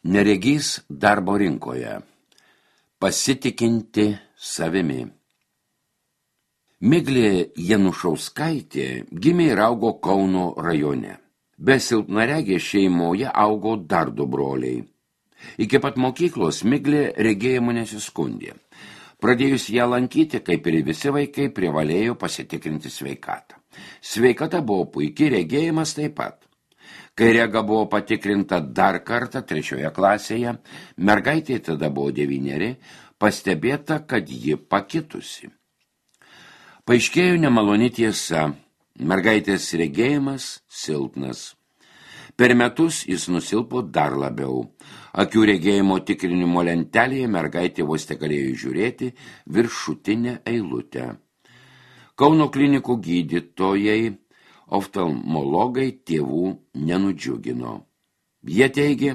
Neregys darbo rinkoje. Pasitikinti savimi. Miglė Janušauskaitė gimė ir augo Kauno rajone. Be silpnaregės šeimoje augo dar du broliai. Iki pat mokyklos Miglė regėjimu nesiskundė. Pradėjus ją lankyti, kaip ir visi vaikai, privalėjo pasitikrinti sveikatą. Sveikata buvo puikiai, regėjimas taip pat. Kai rega buvo patikrinta dar kartą 3 klasėje, mergaitė tada buvo 9, pastebėta, kad ji pakitusi. Paaiškėjo nemaloni tiesa, mergaitės regėjimas silpnas. Per metus jis nusilpo dar labiau. Akių regėjimo tikrinimo lentelėje mergaitė vos tegalėjo žiūrėti viršutinę eilutę. Kauno klinikų gydytojai, oftalmologai tėvų nenudžiugino. Jie teigė,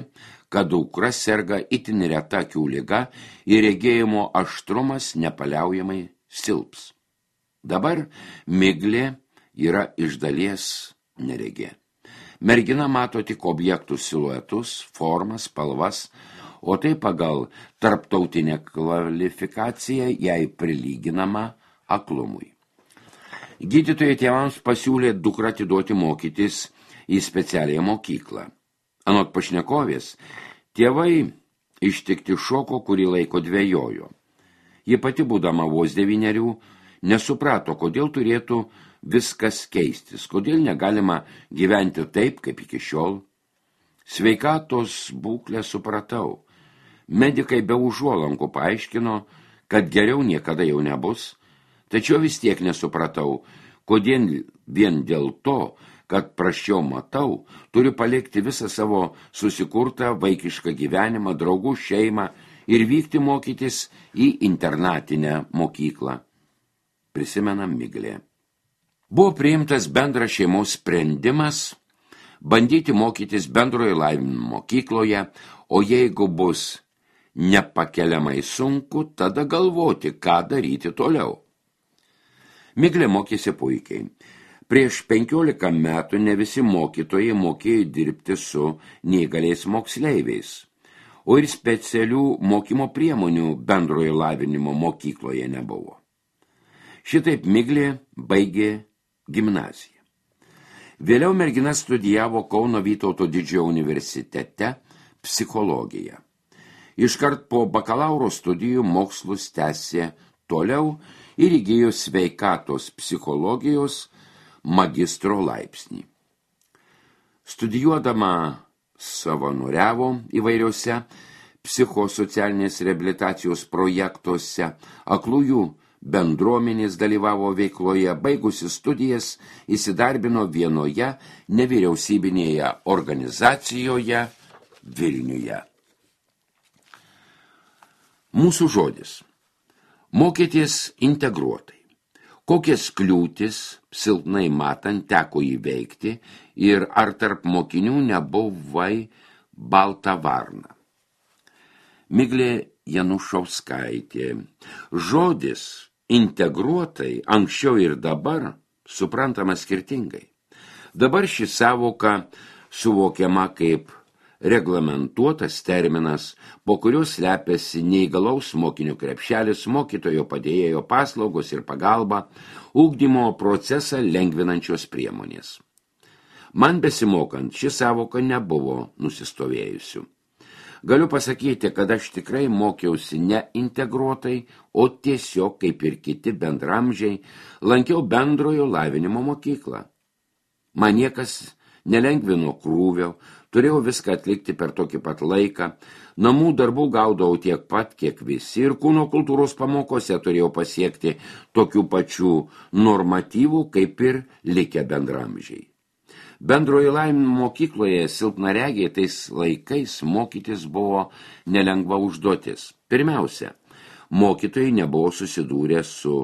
kad dukra serga itin reta akių liga ir regėjimo aštrumas nepaliaujamai silps. Dabar Miglė yra iš dalies neregė. Mergina mato tik objektų siluetus, formas, spalvas, o tai pagal tarptautinę kvalifikaciją jai prilyginama aklumui. Gydytojai tėvams pasiūlė dukrą atiduoti mokytis į specialiąją mokyklą. Anot pašnekovės, tėvai ištikti šoko, kurį laiko dvejojo. Ji pati, būdama vos 9, nesuprato, kodėl turėtų viskas keistis, kodėl negalima gyventi taip, kaip iki šiol. Sveikatos būklę supratau. Medikai be užuolankų paaiškino, kad geriau niekada jau nebus. Tačiau vis tiek nesupratau, kodėl vien dėl to, kad prasčiau matau, turiu palikti visą savo susikurtą vaikišką gyvenimą, draugų šeimą ir vykti mokytis į internatinę mokyklą. Prisimena Miglė. Buvo priimtas bendras šeimos sprendimas bandyti mokytis bendrojo lavinimo mokykloje, o jeigu bus nepakeliamai sunku, tada galvoti, ką daryti toliau. Miglė mokėsi puikiai. Prieš 15 metų ne visi mokytojai mokėjo dirbti su neįgaliais moksleiviais, o ir specialių mokymo priemonių bendrojo lavinimo mokykloje nebuvo. Šitaip Miglė baigė gimnaziją. Vėliau mergina studijavo Kauno Vytauto Didžiojo universitete psichologiją. Iškart po bakalauro studijų mokslus tęsė toliau ir įgijo sveikatos psichologijos magistro laipsnį. Studijuodama savanoriavo įvairiuose psichosocialinės reabilitacijos projektuose, aklųjų bendruomenės dalyvavo veikloje, baigusi studijas įsidarbino vienoje nevyriausybinėje organizacijoje Vilniuje. Mūsų žodis. Mokytis integruotai. Kokias kliūtis silpnai matant teko įveikti ir ar tarp mokinių nebuvai balta varna. Miglė Janušauskaitė. Žodis integruotai anksčiau ir dabar suprantama skirtingai. Dabar ši sąvoka suvokiama kaip reglamentuotas terminas, po kuriuo slepiasi neįgalaus mokinio krepšelis, mokytojo padėjėjo paslaugos ir pagalba, ugdymo procesą lengvinančios priemonės. Man besimokant, ši sąvoka nebuvo nusistovėjusių. Galiu pasakyti, kad aš tikrai mokiausi ne integruotai, o tiesiog, kaip ir kiti bendramžiai, lankiau bendrojo lavinimo mokyklą. Man niekas nelengvino krūvio, turėjau viską atlikti per tokį pat laiką, namų darbų gaudavau tiek pat, kiek visi, ir kūno kultūros pamokose turėjau pasiekti tokių pačių normatyvų, kaip ir likę bendramžiai. Bendrojo lavinimo mokykloje silpnaregiai tais laikais mokytis buvo nelengva užduotis. Pirmiausia, mokytojai nebuvo susidūrę su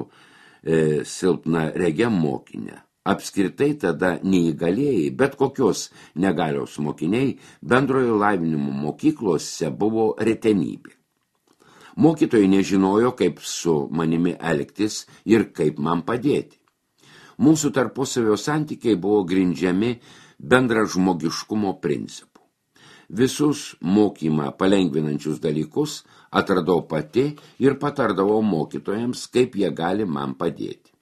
silpnaregė mokinė. Apskritai tada neįgalėjai, bet kokios negalios mokiniai bendrojo lavinimo mokyklose buvo retenybė. Mokytojai nežinojo, kaip su manimi elgtis ir kaip man padėti. Mūsų tarpusavio santykiai buvo grindžiami bendražmogiškumo principu. Visus mokymą palengvinančius dalykus atradau pati ir patardavau mokytojams, kaip jie gali man padėti.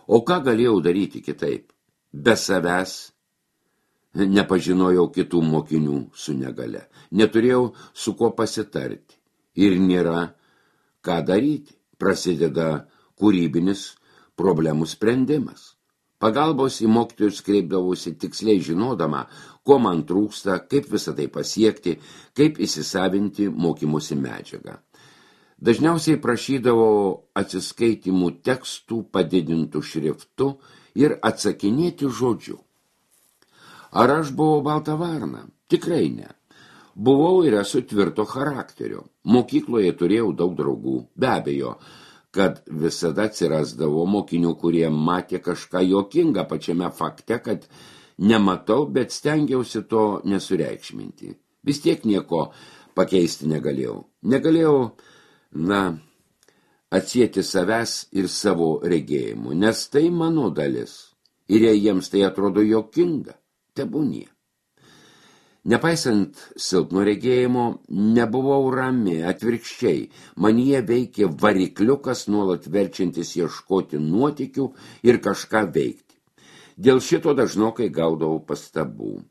O ką galėjau daryti kitaip? Be savęs nepažinojau kitų mokinių su negale. Neturėjau su kuo pasitarti. Ir nėra ką daryti. Prasideda kūrybinis problemų sprendimas. Pagalbos į mokytojus kreipdavausi tiksliai žinodama, ko man trūksta, kaip visą tai pasiekti, kaip įsisavinti mokymosi medžiagą. Dažniausiai prašydavau atsiskaitimų tekstų padidintų šriftu ir atsakinėti žodžiu. Ar aš buvau balta varna? Tikrai ne. Buvau ir esu tvirto charakterio. Mokykloje turėjau daug draugų. Be abejo, kad visada atsirasdavo mokinių, kurie matė kažką juokingą pačiame fakte, kad nematau, bet stengiausi to nesureikšminti. Vis tiek nieko pakeisti negalėjau. Negalėjau, atsieti savęs ir savo regėjimų, nes tai mano dalis. Ir jei jiems tai atrodo juokinga, tebūnie. Nepaisant silpno regėjimo, nebuvau rami, atvirkščiai, manyje veikė varikliukas nuolat verčiantis ieškoti nuotykių ir kažką veikti. Dėl šito dažnokai gaudavau pastabų.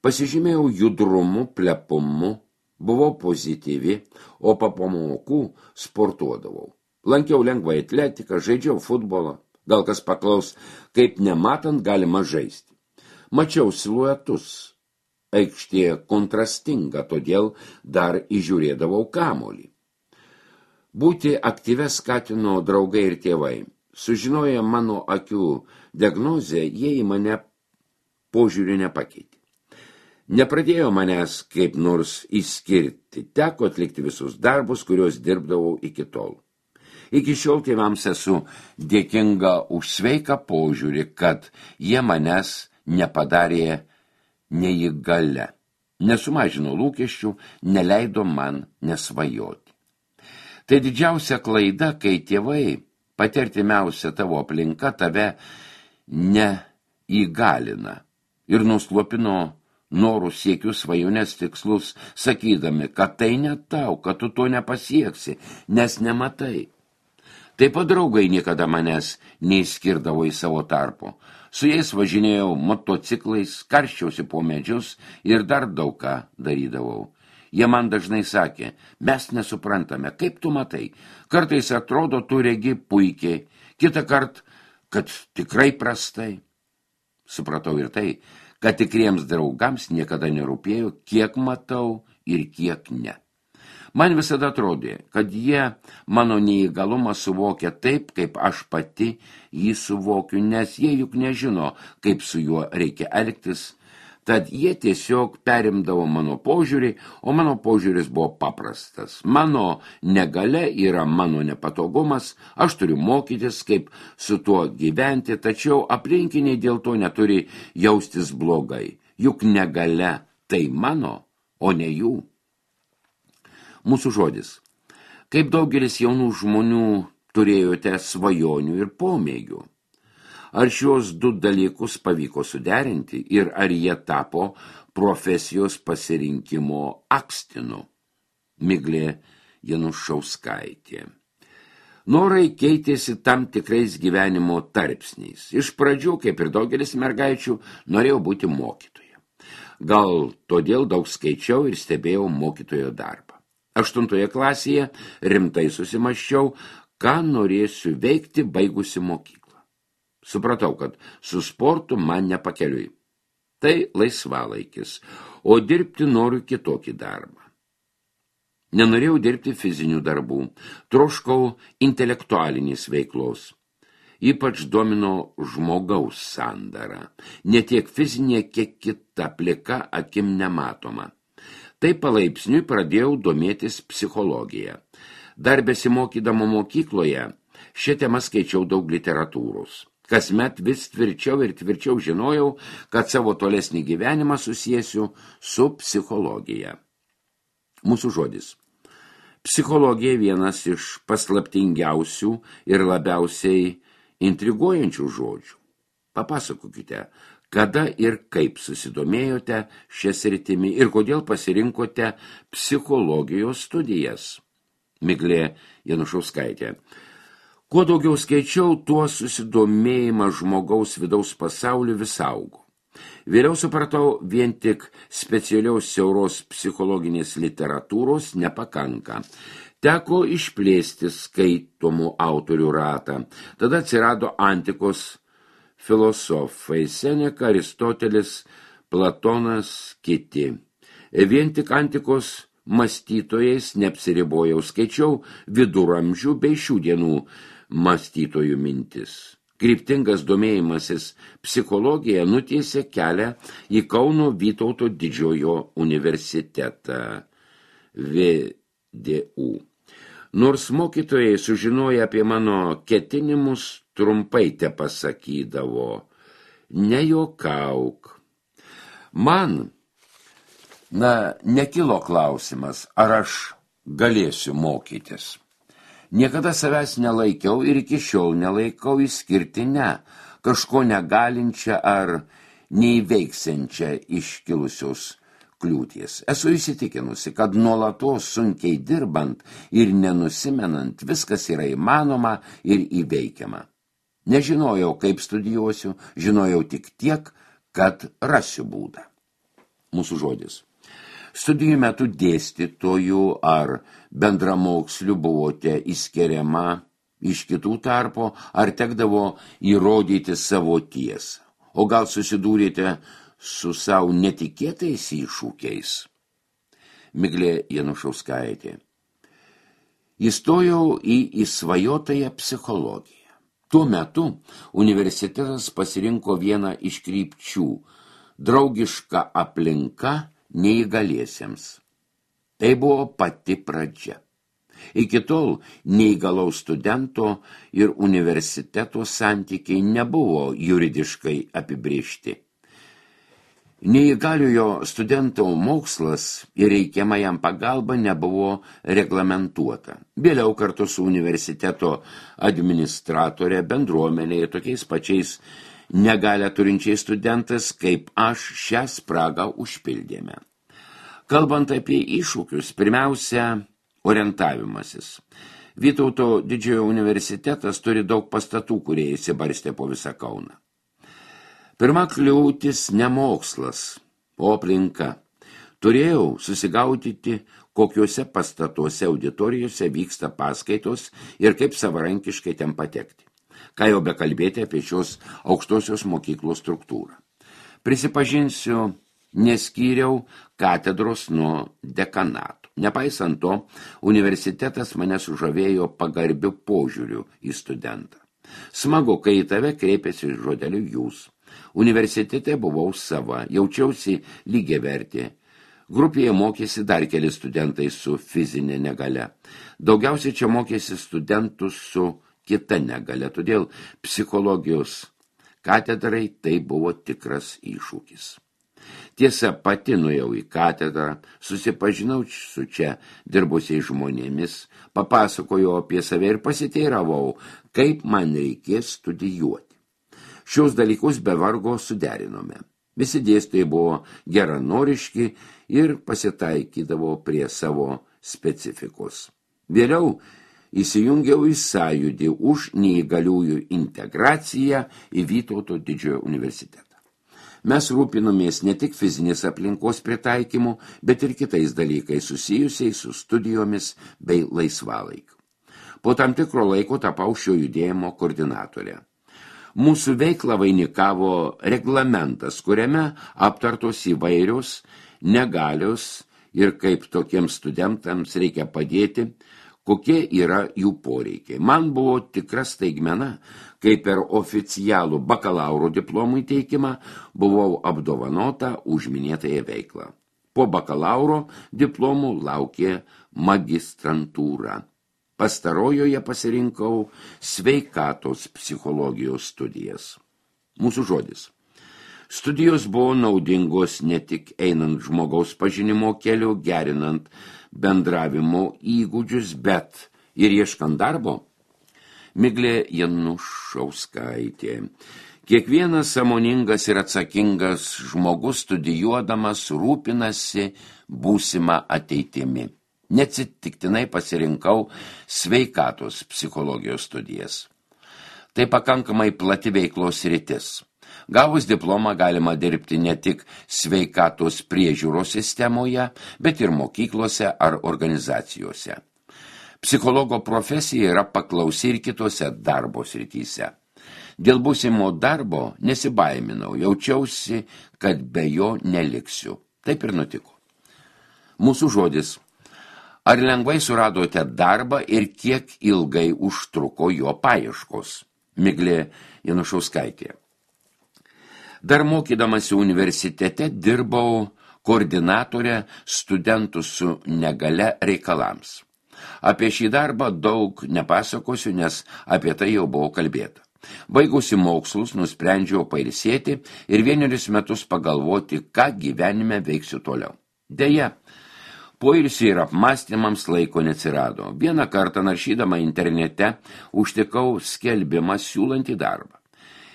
Pasižymėjau judrumu, plepumu, buvau pozityvi, o po pamokų sportuodavau. Lankiau lengvą atletiką, žaidžiau futbolą, gal kas paklaus, kaip nematant galima žaisti. Mačiau siluetus. Aikštė kontrastinga, todėl dar įžiūrėdavau kamuolį. Būti aktyvia skatino draugai ir tėvai. Sužinoję mano akių diagnozę, jie į mane požiūrį nepakeitė. Nepradėjo manęs kaip nors išskirti, teko atlikti visus darbus, kuriuos dirbdavau iki tol. Iki šiol tėvams esu dėkinga už sveiką požiūrį, kad jie manęs nepadarė neįgalia, nesumažino lūkesčių, neleido man nesvajoti. Tai didžiausia klaida, kai tėvai, pati artimiausia tavo aplinka, tave neįgalina ir nuslopino norų siekius, svajonės tikslus, sakydami, kad tai ne tau, kad tu to nepasieksi, nes nematai. Taip pat draugai niekada manęs neįskirdavo į savo tarpo. Su jais važinėjau motociklais, karščiausi po medžius ir dar daug ką darydavau. Jie man dažnai sakė, mes nesuprantame, kaip tu matai. Kartais atrodo, tu regi puikiai, kitą kart, kad tikrai prastai. Supratau ir tai, kad tikriems draugams niekada nerūpėjo, kiek matau ir kiek ne. Man visada atrodė, kad jie mano neįgalumą suvokia taip, kaip aš pati jį suvokiu, nes jie juk nežino, kaip su juo reikia elgtis. Tad jie tiesiog perimdavo mano požiūrį, o mano požiūris buvo paprastas. Mano negalia yra mano nepatogumas, aš turiu mokytis, kaip su tuo gyventi, tačiau aplinkiniai dėl to neturi jaustis blogai. Juk negalia tai mano, o ne jų. Mūsų žodis. Kaip daugelis jaunų žmonių turėjote svajonių ir pomėgių? Ar šios du dalykus pavyko suderinti ir ar jie tapo profesijos pasirinkimo akstinu? Miglė Janušauskaitė. Norai keitėsi tam tikrais gyvenimo tarpsniais. Iš pradžių, kaip ir daugelis mergaičių, norėjau būti mokytoja. Gal todėl daug skaičiau ir stebėjau mokytojo darbą. 8 klasėje rimtai susimaščiau, ką norėsiu veikti baigusi mokyklą. Supratau, kad su sportu man nepakeliui. Tai laisvalaikis, o dirbti noriu kitokį darbą. Nenorėjau dirbti fizinių darbų, troškau intelektualinės veiklos. Ypač domino žmogaus sandara, ne tiek fizinė, kiek kita, plika akim nematoma. Tai palaipsniui pradėjau domėtis psichologija. Dar besimokydama mokykloje, šią temą skaičiau daug literatūros. Kasmet vis tvirčiau ir tvirčiau žinojau, kad savo tolesnį gyvenimą susiesiu su psichologija. Mūsų žodis. Psichologija vienas iš paslaptingiausių ir labiausiai intriguojančių žodžių. Papasakokite, Kada ir kaip susidomėjote šią sritimi ir kodėl pasirinkote psichologijos studijas? Miglė Janušauskaitė. Kuo daugiau skaičiau, tuo susidomėjimas žmogaus vidaus pasauliu vis augo. Vėliau supratau, vien tik specialiaus siauros psichologinės literatūros nepakanka. Teko išplėsti skaitomų autorių ratą. Tada atsirado antikos filosofai Seneka, Aristotelis, Platonas, kiti. Vien tik antikos mąstytojais neapsiribojau, skaičiau viduramžių bei šių dienų mąstytojų mintis. Kryptingas domėjimasis psichologija nutiesė kelią į Kauno Vytauto didžiojo universitetą VDU. Nors mokytojai sužinoję apie mano ketinimus trumpai te pasakydavo, nejuokauk. Man, nekilo klausimas, ar aš galėsiu mokytis. Niekada savęs nelaikiau ir iki šiol nelaikau išskirtinę, kažko negalinčią ar neįveiksiančią iškilusios kliūties. Esu įsitikinusi, kad nuolatos sunkiai dirbant ir nenusimenant viskas yra įmanoma ir įveikiama. Nežinojau, kaip studijuosiu, žinojau tik tiek, kad rasiu būdą. Mūsų žodis. Studijų metu dėstytojų ar bendramokslių buvote įskiriama iš kitų tarpo, ar tekdavo įrodyti savo tiesą, o gal susidūrėte su savo netikėtais iššūkiais. Miglė Janušauskaitė. Įstojau į įsvajotąją psichologiją. Tuo metu universitetas pasirinko vieną iš krypčių – draugiška aplinka neįgaliesiems. Tai buvo pati pradžia. Iki tol neįgalaus studento ir universiteto santykiai nebuvo juridiškai apibrėžti. Neįgaliojo studento mokslas ir reikiama jam pagalba nebuvo reglamentuota. Vėliau kartu su universiteto administratorė bendruomenėje tokiais pačiais negalią turinčiais studentas, kaip aš, šią spragą užpildėme. Kalbant apie iššūkius, pirmiausia, orientavimasis. Vytauto didžiojo universitetas turi daug pastatų, kurie įsibarstė po visą Kauną. Pirma kliūtis ne mokslas, o aplinka. Turėjau susigaudyti, kokiuose pastatuose auditorijose vyksta paskaitos ir kaip savarankiškai ten patekti. Ką jau bekalbėti apie šios aukštosios mokyklos struktūrą. Prisipažinsiu, neskyriau katedros nuo dekanato. Nepaisant to, universitetas mane sužavėjo pagarbiu požiūriu į studentą. Smagu, kai į tave kreipiasi žodeliu jūs. Universitete buvau sava, jaučiausi lygiavertė. Grupėje mokėsi dar keli studentai su fizinė negalia. Daugiausiai čia mokėsi studentų su kita negalia, todėl psichologijos katedrai tai buvo tikras iššūkis. Tiesa, pati nuėjau į katedrą, susipažinau su čia dirbusiais žmonėmis, papasakojau apie save ir pasiteiravau, kaip man reikės studijuoti. Šios dalykus be vargo suderinome. Visi dėstytojai buvo geranoriški ir pasitaikydavo prie savo specifikos. Vėliau įsijungiau į sąjūdį už neįgaliųjų integraciją į Vytauto didžiojo universitetą. Mes rūpinomės ne tik fizinės aplinkos pritaikymu, bet ir kitais dalykais susijusiais su studijomis bei laisvalaikiu. Po tam tikro laiko tapau šio judėjimo koordinatorė. Mūsų veiklą vainikavo reglamentas, kuriame aptartos įvairios negalios ir kaip tokiems studentams reikia padėti, kokie yra jų poreikiai. Man buvo tikra staigmena, kai per oficialų bakalauro diplomų įteikimą buvau apdovanota už minėtąją veiklą. Po bakalauro diplomų laukė magistrantūra. Pastarojoje pasirinkau sveikatos psichologijos studijas. Mūsų žodis. Studijos buvo naudingos ne tik einant žmogaus pažinimo keliu, gerinant bendravimo įgūdžius, bet ir ieškant darbo. Miglė Janušauskaitė. Kiekvienas sąmoningas ir atsakingas žmogus studijuodamas rūpinasi būsimą ateitimi. Neatsitiktinai pasirinkau sveikatos psichologijos studijas. Tai pakankamai plati veiklos sritis. Gavus diplomą galima dirbti ne tik sveikatos priežiūros sistemoje, bet ir mokyklose ar organizacijose. Psichologo profesija yra paklausi ir kitose darbo srityse. Dėl būsimo darbo nesibaiminau, jaučiausi, kad be jo neliksiu. Taip ir nutiko. Mūsų žodis. Ar lengvai suradote darbą ir kiek ilgai užtruko jo paieškos? Miglė Janušauskaitė. Dar mokydamasi universitete dirbau koordinatorė studentų su negalia reikalams. Apie šį darbą daug nepasakosiu, nes apie tai jau buvo kalbėta. Baigusi mokslus, nusprendžiau pailsėti ir 1 metus pagalvoti, ką gyvenime veiksiu toliau. Deja, poilsiui ir apmąstymams laiko neatsirado. Vieną kartą naršydama internete užtikau skelbimą siūlantį darbą.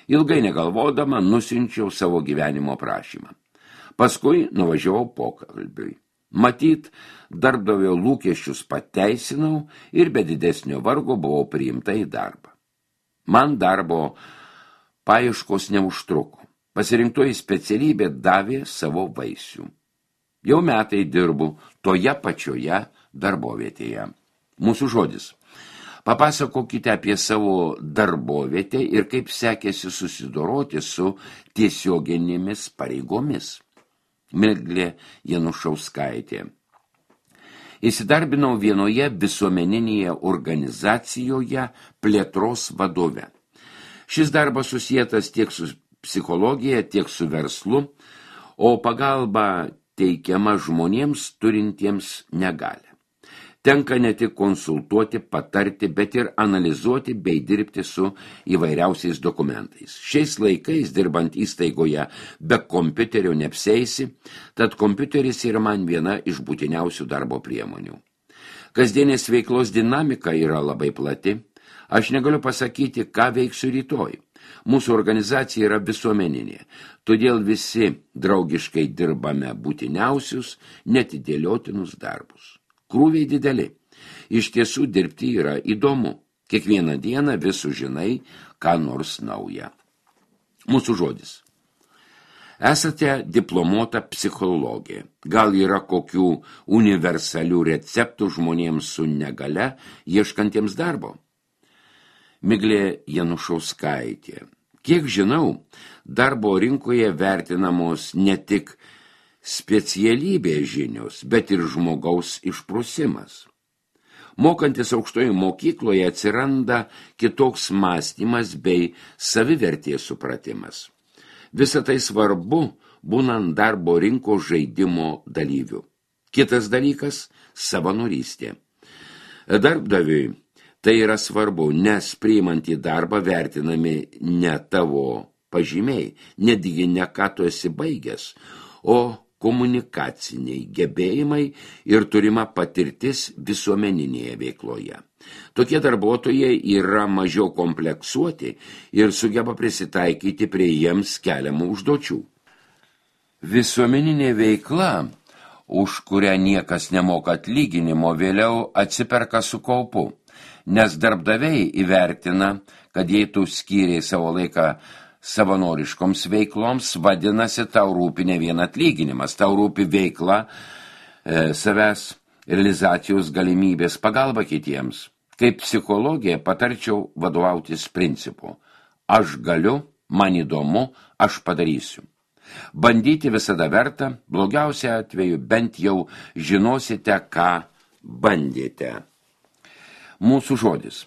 Ilgai negalvodama nusiunčiau savo gyvenimo prašymą. Paskui nuvažiavau pokalbiui. Matyt, darbdavio lūkesčius pateisinau ir be didesnio vargo buvau priimta į darbą. Man darbo paieškos neužtruko. Pasirinktoji specialybė davė savo vaisių. Jau metai dirbu toje pačioje darbovietėje. Mūsų žodis. Papasakokite apie savo darbovietę ir kaip sekėsi susidoroti su tiesioginėmis pareigomis. Miglė Janušauskaitė. Įsidarbinau vienoje visuomeninėje organizacijoje plėtros vadove. Šis darbas susietas tiek su psichologija, tiek su verslu, o pagalba teikiama žmonėms turintiems negalią. Tenka ne tik konsultuoti, patarti, bet ir analizuoti bei dirbti su įvairiausiais dokumentais. Šiais laikais, dirbant įstaigoje, be kompiuterio neapseisi, tad kompiuteris yra man viena iš būtiniausių darbo priemonių. Kasdienės veiklos dinamika yra labai plati. Aš negaliu pasakyti, ką veiksiu rytoj. Mūsų organizacija yra visuomeninė, todėl visi draugiškai dirbame būtiniausius, netidėliotinus darbus. Krūviai dideli. Iš tiesų dirbti yra įdomu. Kiekvieną dieną vis sužinai, ką nors nauja. Mūsų žodis. Esate diplomuota psichologė. Gal yra kokių universalių receptų žmonėms su negalia, ieškantiems darbo? Miglė Janušauskaitė. Kiek žinau, darbo rinkoje vertinamos ne tik specialybės žinios, bet ir žmogaus išprusimas. Mokantis aukštoje mokykloje atsiranda kitoks mąstymas bei savivertės supratimas. Visa tai svarbu, būnant darbo rinkos žaidimo dalyviu. Kitas dalykas – savanorystė. Darbdaviui tai yra svarbu, nes priimant į darbą vertinami ne tavo pažymiai, netgi ne ką tu esi baigęs, o komunikaciniai gebėjimai ir turima patirtis visuomeninėje veikloje. Tokie darbuotojai yra mažiau kompleksuoti ir sugeba prisitaikyti prie jiems keliamų užduočių. Visuomeninė veikla, už kurią niekas nemoka atlyginimo, vėliau atsiperka su kaupu, nes darbdaviai įvertina, kad jei tu skyrei savo laiką savanoriškoms veikloms, vadinasi, tau rūpi ne vien atlyginimas, tau rūpi veikla, savęs realizacijos galimybės, pagalba kitiems. Kaip psichologija patarčiau vadovautis principu. Aš galiu, man įdomu, aš padarysiu. Bandyti visada verta, blogiausia atveju bent jau žinosite, ką bandėte. Mūsų žodis.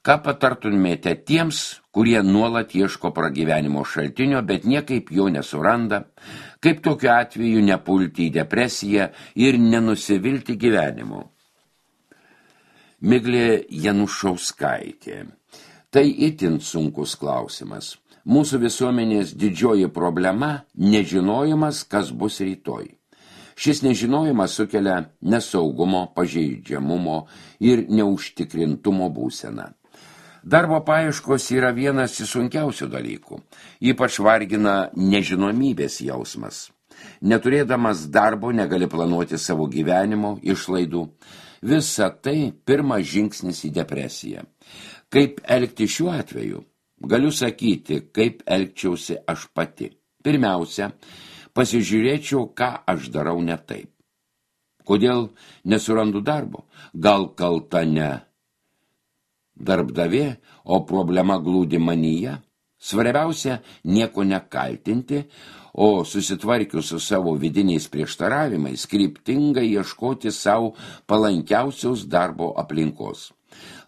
Ką patartumėte tiems, kurie nuolat ieško pragyvenimo šaltinio, bet niekaip jo nesuranda, kaip tokiu atveju nepulti į depresiją ir nenusivilti gyvenimu? Miglė Janušauskaitė. Tai itin sunkus klausimas. Mūsų visuomenės didžioji problema – nežinojimas, kas bus rytoj. Šis nežinojimas sukelia nesaugumo, pažeidžiamumo ir neužtikrintumo būseną. Darbo paieškos yra vienas iš sunkiausių dalykų. Ypač vargina nežinomybės jausmas. Neturėdamas darbo negali planuoti savo gyvenimo, išlaidų. Visa tai pirmas žingsnis į depresiją. Kaip elgti šiuo atveju? Galiu sakyti, kaip elgčiausi aš pati. Pirmiausia, pasižiūrėčiau, ką aš darau ne taip. Kodėl nesurandu darbo? Gal kalta ne darbdavė, o problema glūdi manyje? Svarbiausia, nieko nekaltinti, o susitvarkius su savo vidiniais prieštaravimais, kryptingai ieškoti savo palankiausios darbo aplinkos.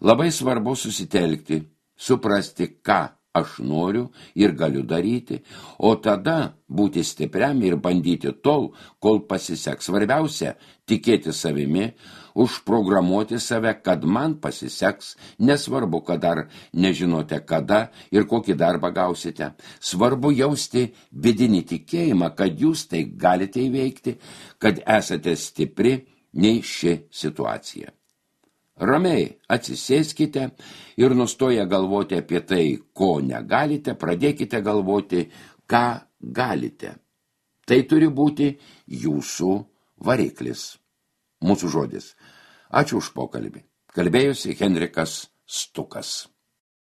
Labai svarbu susitelkti, suprasti, ką aš noriu ir galiu daryti, o tada būti stipriam ir bandyti tol, kol pasiseks. Svarbiausia, tikėti savimi, užprogramuoti save, kad man pasiseks, nesvarbu, kad dar nežinote kada ir kokį darbą gausite. Svarbu jausti vidinį tikėjimą, kad jūs tai galite įveikti, kad esate stipri nei ši situacija. Ramiai atsisėskite ir nustoję galvoti apie tai, ko negalite, pradėkite galvoti, ką galite. Tai turi būti jūsų variklis. Mūsų žodis. Ačiū už pokalbį. Kalbėjosi Henrikas Stukas.